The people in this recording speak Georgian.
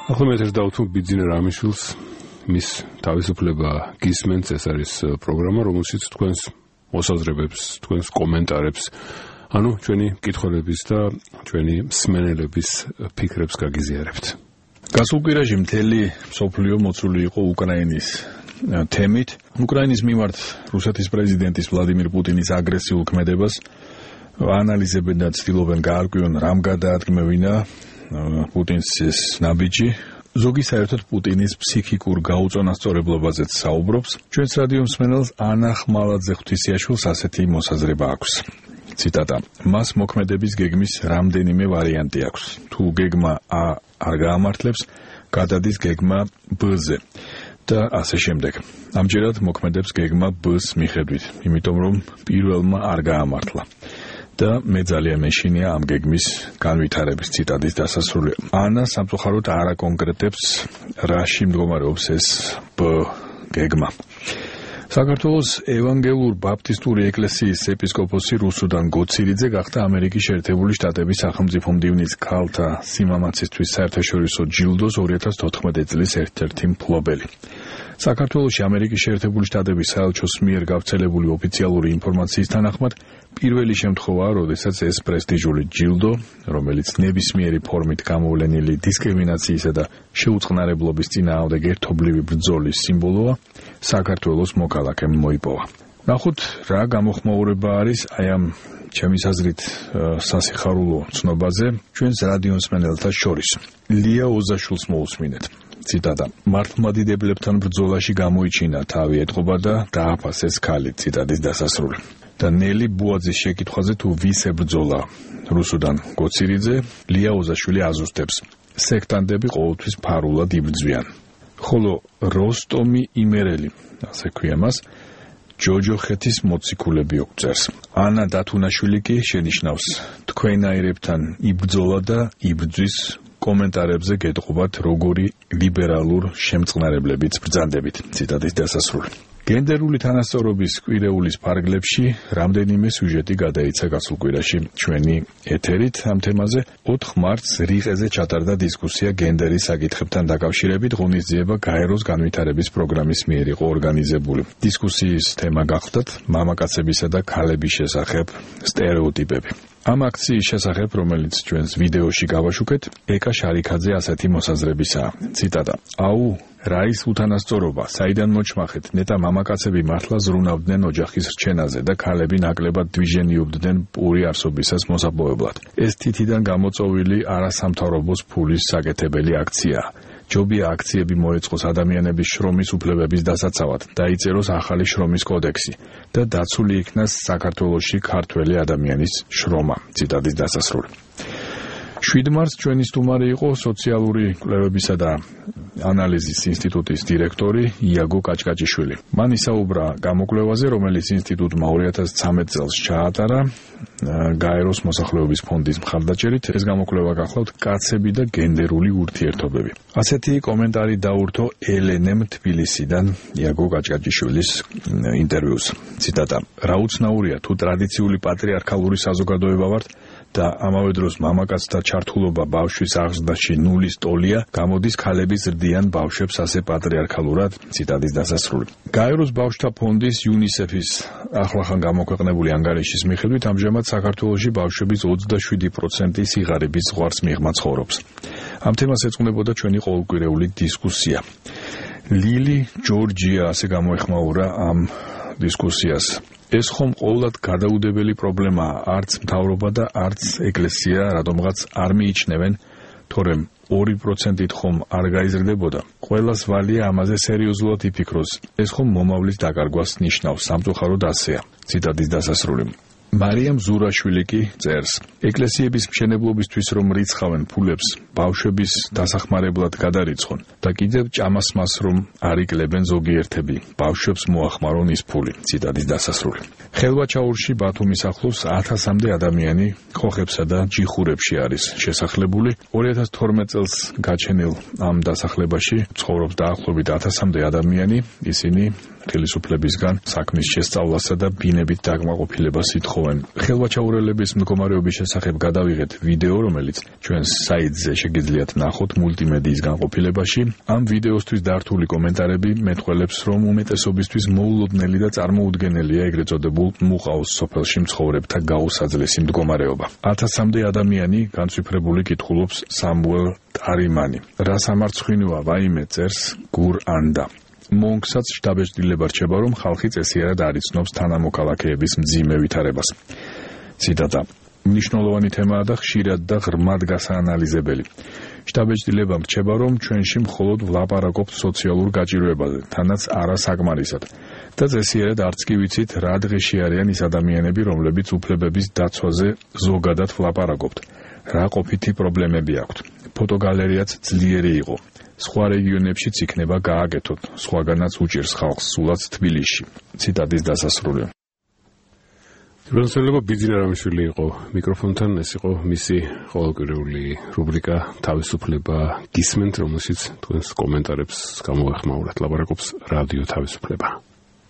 ახლა მე ეს დავთვალ ბიძინა რამიშვილს მის თავისუფლება გისმენთ ეს არის პროგრამა რომელშიც თქვენს მოსაზრებებს თქვენს კომენტარებს ანუ ჩვენი მკითხველების და ჩვენი მსმენელების ფიქრებს გაგიზიარებთ გასულ კვირაში მთელი მსოფლიო მოცული იყო უკრაინის თემით უკრაინის მიმართ რუსეთის პრეზიდენტის ვლადიმირ პუტინის აგრესიულ ქმედებას ანალიზებენ და ცდილობენ გაარკვიონ რამ გადაადგმევინა პუტინს ეს ნაბიჯი ზოგი საერთოდ პუტინის ფსიქიკურ გაუწონასწორებლობაზეც საუბრობს ჩვენს რადიო მსმენელს ანა ხმალაძე ღვთისიაშვილს ასეთი მოსაზრება აქვს ციტატა მას მოქმედების გეგმის რამდენიმე ვარიანტი აქვს თუ გეგმა A არ გაამართლებს გადადის გეგმა B-ზე და ასე შემდეგ ამჯერად მოქმედებს გეგმა B-ს მიხედვით იმიტომ რომ პირველმა არ გაამართლა და მე ძალიან მეშინია ამ გეგმის განვითარების ციტატის დასასრული. ანა სამწუხაროდ არ აკონკრეტებს რაში მდგომარეობს ეს B გეგმა. საქართველოს ევანგელურ ბაპტისტური ეკლესიის ეპისკოპოსი რუსუდან გოცირიძე გახდა ამერიკის შეერთებული შტატების სახელმწიფო მდივნის ქალთა სიმამაცისთვის საერთაშორისო ჯილდოს 2014 წლის ერთ-ერთი მფლობელი. საქართველოში ამერიკის შეერთებული შტატების საელჩოს მიერ გავრცელებული ოფიციალური ინფორმაციის თანახმად პირველი შემთხვევაა, როდესაც ეს პრესტიჟული ჯილდო, რომელიც ნებისმიერი ფორმით გამოვლენილი დისკრიმინაციისა და შეუწყნარებლობის წინააღმდეგ ერთობლივი ბრძოლის სიმბოლოა, საქართველოს მოქალაქემ მოიპოვა. ნახოთ, რა გამოხმაურება არის აი ამ ჩემის აზრით სასიხარულო ცნობაზე ჩვენს რადიო მსმენელთა შორის. ლია ოზაშვილს მოусმინეთ. ციტატა მართლმადიდებლებთან ბრძოლაში გამოიჩინა თავი ეტყობა და დააფასეს ქალი ციტატის დასასრული და ნელი ბუაძის შეკითხვაზე თუ ვის ებრძოლა რუსუდან გოცირიძე ლია ოზაშვილი აზუსტებს სექტანტები ყოველთვის ფარულად იბრძვიან ხოლო როსტომი იმერელი ასე ქვია მას ჯოჯოხეთის მოციქულები უწევს ანა დათუნაშვილი კი შენიშნავს თქვენაირებთან იბრძოლა და იბრძვის კომენტარებზე გეტყობათ როგორი ლიბერალურ შემწყნარებლებიც ბრძანდებით ციტატის დასასრული გენდერული თანასწორობის კვირეულის ფარგლებში რამდენიმე სიუჟეტი გადაიცა გასულ კვირაში ჩვენი ეთერით ამ თემაზე 4 მარტს რიყეზე ჩატარდა დისკუსია გენდერის საკითხებთან დაკავშირებით ღონისძიება გაეროს განვითარების პროგრამის მიერ იყო ორგანიზებული დისკუსიის თემა გახლდათ მამაკაცებისა და ქალების შესახებ სტერეოტიპები ამ აქციის შესახებ, რომელიც ჩვენს ვიდეოში გავაშუქეთ, ეკა შარიქაძე ასეთი მოსაზრებისაა. ციტატა: აუ, რა ის უთანასწორობა, საიდან მოჩმახეთ, ნეტა მამაკაცები მართლა ზრუნავდნენ ოჯახის რჩენაზე და ქალები ნაკლებად დვიჟენიობდნენ პური არსობისას მოსაპოვებლად. ეს თითიდან გამოწოვილი არასამთავრობოს ფულის საკეთებელი აქციაა. ჯობია აქციები მოეწყოს ადამიანების შრომის უფლებების დასაცავად, დაიწეროს ახალი შრომის კოდექსი და დაცული იქნას საქართველოში ქართველი ადამიანის შრომა. ციტატის დასასრული. 7 მარტს ჩვენი სტუმარი იყო სოციალური კვლევებისა და ანალიზის ინსტიტუტის დირექტორი იაგო კაჭკაჭიშვილი. მან ისაუბრა გამოკვლევაზე, რომელიც ინსტიტუტმა 2013 წელს ჩაატარა გაეროს მოსახლეობის ფონდის მხარდაჭერით. ეს გამოკვლევა გახლავთ კაცები და გენდერული ურთიერთობები. ასეთი კომენტარი დაურთო ელენემ თბილისიდან იაგო კაჭკაჭიშვილის ინტერვიუს. ციტატა: რა უცნაურია თუ ტრადიციული პატრიარქალური საზოგადოება ვართ და ამავე დროს მამაკაცთა ჩართულობა ბავშვის აღზრდაში ნულის ტოლია, გამოდის ქალები ზრდიან ბავშვებს ასე პატრიარქალურად. ციტატის დასასრული. გაეროს ბავშვთა ფონდის UNICEF-ის ახლახან გამოქვეყნებული ანგარიშის მიხედვით ამჟამად საქართველოში ბავშვების 27% სიღარიბის ზღვარს მიღმა ცხოვრობს. ამ თემას ეძღვნებოდა ჩვენი ყოველკვირეული დისკუსია. ლილი ჯორჯია ასე გამოეხმაურა ამ დისკუსიას. ეს ხომ ყოვლად გადაუდებელი პრობლემაა, არც მთავრობა და არც ეკლესია რატომღაც არ მიიჩნევენ, თორემ 2%-ით ხომ არ გაიზრდებოდა. ყველას ვალია ამაზე სერიოზულად იფიქროს. ეს ხომ მომავლის დაკარგვას ნიშნავს, სამწუხაროდ ასეა. ციტატის დასასრული. მარიამ ზურაშვილი კი წერს: ეკლესიების მშენებლობისთვის რომ რიცხავენ ფულებს, ბავშვების დასახმარებლად გადარიცხონ და კიდევ ჭამასმას რომ არ იკლებენ ზოგიერთები, ბავშვებს მოახმარონ ის ფული. ციტატის დასასრული. ხელვაჩაურში ბათუმის ახლოს 1000-მდე ადამიანი ხოხებსა და ჯიხურებში არის შესახლებული. 2012 წელს გაჩენილ ამ დასახლებაში ცხოვრობს დაახლოებით 1000-მდე ადამიანი. ისინი ხელისუფლებისგან საქმის შესწავლასა და ბინებით დაკმაყოფილებას ითხოვენ. ხელვაჩაურელების მდგომარეობის შესახებ გადავიღეთ ვიდეო, რომელიც ჩვენს საიტზე შეგიძლიათ ნახოთ მულტიმედიის განყოფილებაში. ამ ვიდეოსთვის დართული კომენტარები მეტყველებს, რომ უმეტესობისთვის მოულოდნელი და წარმოუდგენელია ეგრეთ წოდებულ მუყაოს სოფელში მცხოვრებთა გაუსაძლესი მდგომარეობა. 1000-მდე ადამიანი განცვიფრებული კითხულობს სამუელ ტარიმანი. რა სამარცხვინოა ვაიმე წერს გურ ანდა. მონგსაც შტაბ-ეჭდილება რჩება, რომ ხალხი წესიერად არ იცნობს თანამოქალაქეების მძიმე ვითარებას. ციტატა: მნიშვნელოვანი თემაა და ხშირად და ღრმად გასაანალიზებელი. შტაბ-ეჭდილებამ რჩება, რომ ჩვენში მხოლოდ ვლაპარაკობთ სოციალურ გაჭირვებაზე, თანაც არა საკმარისად. და წესიერად არც კი ვიცით, რა დღეში არიან ის ადამიანები, რომლებიც უფლებების დაცვაზე ზოგადად ვლაპარაკობთ. რა ყოფითი პრობლემები აქვთ. ფოტოგალერეაც ძლიერი იყო. სხვა რეგიონებშიც იქნება გააკეთოთ, სხვაგანაც უჭირს ხალხს სულაც თბილისში. ციტატის დასასრული. რუსელობა ბიძინა რამიშვილი იყო მიკროფონთან, ეს იყო მისი ყოველკვირეული რუბრიკა თავისუფლება გისმენთ, რომელშიც თქვენს კომენტარებს გამოვეხმაურეთ. ლაპარაკობს რადიო თავისუფლება.